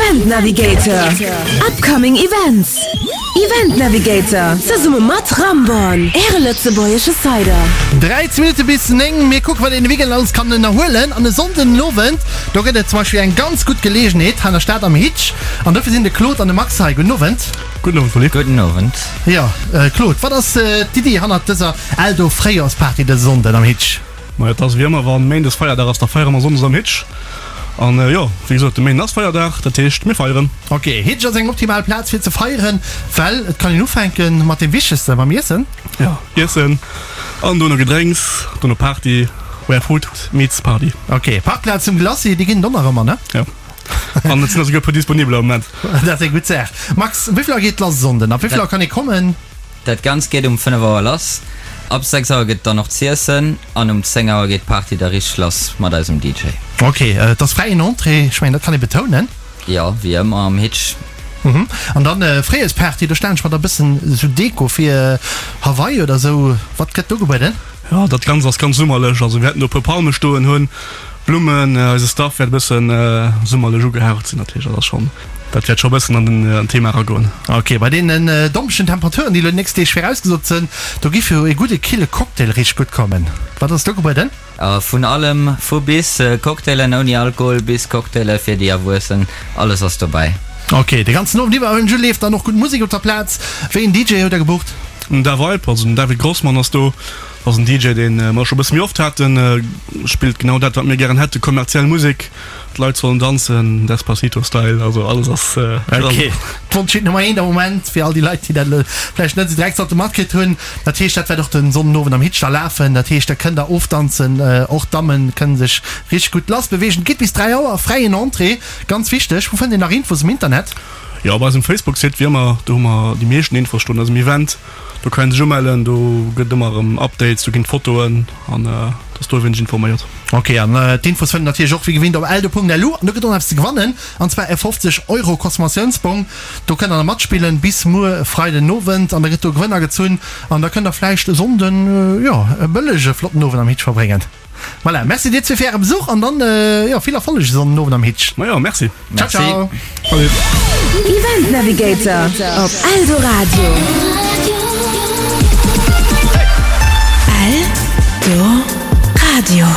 Event Navigator, Upcoming Events, Event Navigator, zesumme mat Ramborn, Äre lëtzebuergesche Cider. 13 Minutte bis 9, Mir kucken, wat een de Weekend alles kann ënnerhuelen. An e Sonnden den Owend, do gëtt et zum Beispill eng ganz gutt Geleegenheet hei an der Stad am Hitch. An dofir sinn de Claude an de Max hei. Gudden Owend. Gudden Owend, Poly. Gudden Owend. Jo, Claude, wat ass d'Iddi hannert dëser Eldo Fréijorsparty dëse Sonnden am Hitch? Majo, et ass wéi ëmmer, wann Méindes Feierdag ass, da feiere mer Sonndes am Hitch. An jo, wéi gesot, de Méinden ass Feierdag, dat heescht mir feieren. Ok, Hitch ass eng optimal Plaz fir ze feieren, well et kann een ufänke mat deem Wichtegsten, mam Iessen. Jo, Iessen an dono Gedrénks, dono Party, where food meets party. Ok, Parkplaz zum Glacis, déi ginn et och nach ëmmer, ne? Jo, an et sinn der souguer e puer disponibel am Moment. Dat ass eng gutt Saach. Max, wéi vill Auer geet et lass e Sonnden? Ab wéi vill Auer kann ee kommen? Dat Ganzt geet um 5 Auer lass. Ab 6 Auer gëtt dann och z'iessen an um 10 Auer geet d'Party da richteg lass mat eisem DJ. Ok, et ass fräien Entrée, ech mengen dat kann ee betounen. Jo, wéi ëmmer am Hitch. Mhm. An dann Fréijoersparty, do stellen ech mer da bëssen esou Deko fir, Hawaii oder esou. Wat gëtt do gebueden? Jo, dat Ganzt ass ganz summerlech. Also mir wäerten do e puer Palme stoen hunn, Blummen, eise Staff wäert e bëssen summerlech ugehaucht sinn natierlech. Dat ass schonn. Dat wäert scho bëssen an den Thema eragoen. Ok, bei deenen dompegen Temperaturen, déi elo déi nächst Deeg virausgesot sënn, do giff jo ee gudde kille Cocktail richteg gutt kommen. Wat ass do gebueden? Vun allem, vu bis Cocktailen ouni Alkohol bis Cocktaile fir déi Erwuessen, alles ass dobäi. Ok, de ganzen Owend iwwer hunn leeft dann och gutt Musek op der Plaz. Wéi een DJ hutt der gebucht? Den Davibe, also den David Grossmann ass do. Ass en DJ, deen mer scho bësse méi oft haten. Spillt genau dat, wat mir gären hätte, kommerziell Musek. D'Leit sollen danzen, Despacito Style, also alles ass dran. Ok, d'Wonschhit Nummer 1 am Moment fir all déi Leit, déi dat elo vläicht net esou direkt sollte matkritt hunn. Dat heescht, dat wäert och den Sonnenowend am Hitch da lafen. Dat heescht, da kënnt der ofdanzen, och d'Dammen kënne sech richteg gutt lass beweegen. Et geet bis 3 Auer, fräien Entrée, ganz wichteg. Wou fënnt een nach Infos um Internet? Jo, op eisem Facebook-Site, wéi ëmmer, do hu mer déi meeschten Infos stoen, eisem Event. Do kann een sech umellen, do gëtt et ëmmer erëm Updates, do ginn Fotoen an et ass do wéineg informéiert. Ok, an d'Infos fënnt natierlech och wéi gewinnt op eldo.lu. An do gëtt och nach eppes ze gewannen, an zwar e 50 Euro Consommatiounsbong. Do kënnt der nach matspillen bis muer Freiden Owend an da gëtt do e Gewënner gezunn an da kënnt der vläicht e Sonnden, jo, e bëllege flotten Owend am Hitch verbréngen. Voilà, merci dir zwee fir äre Besuch an dann jo vill Erfolleg e Sonnden Owend am Hitch. Majo, merci. Ciao, ciao. Salut. Event Navigator op Eldoradio. Eldoradio.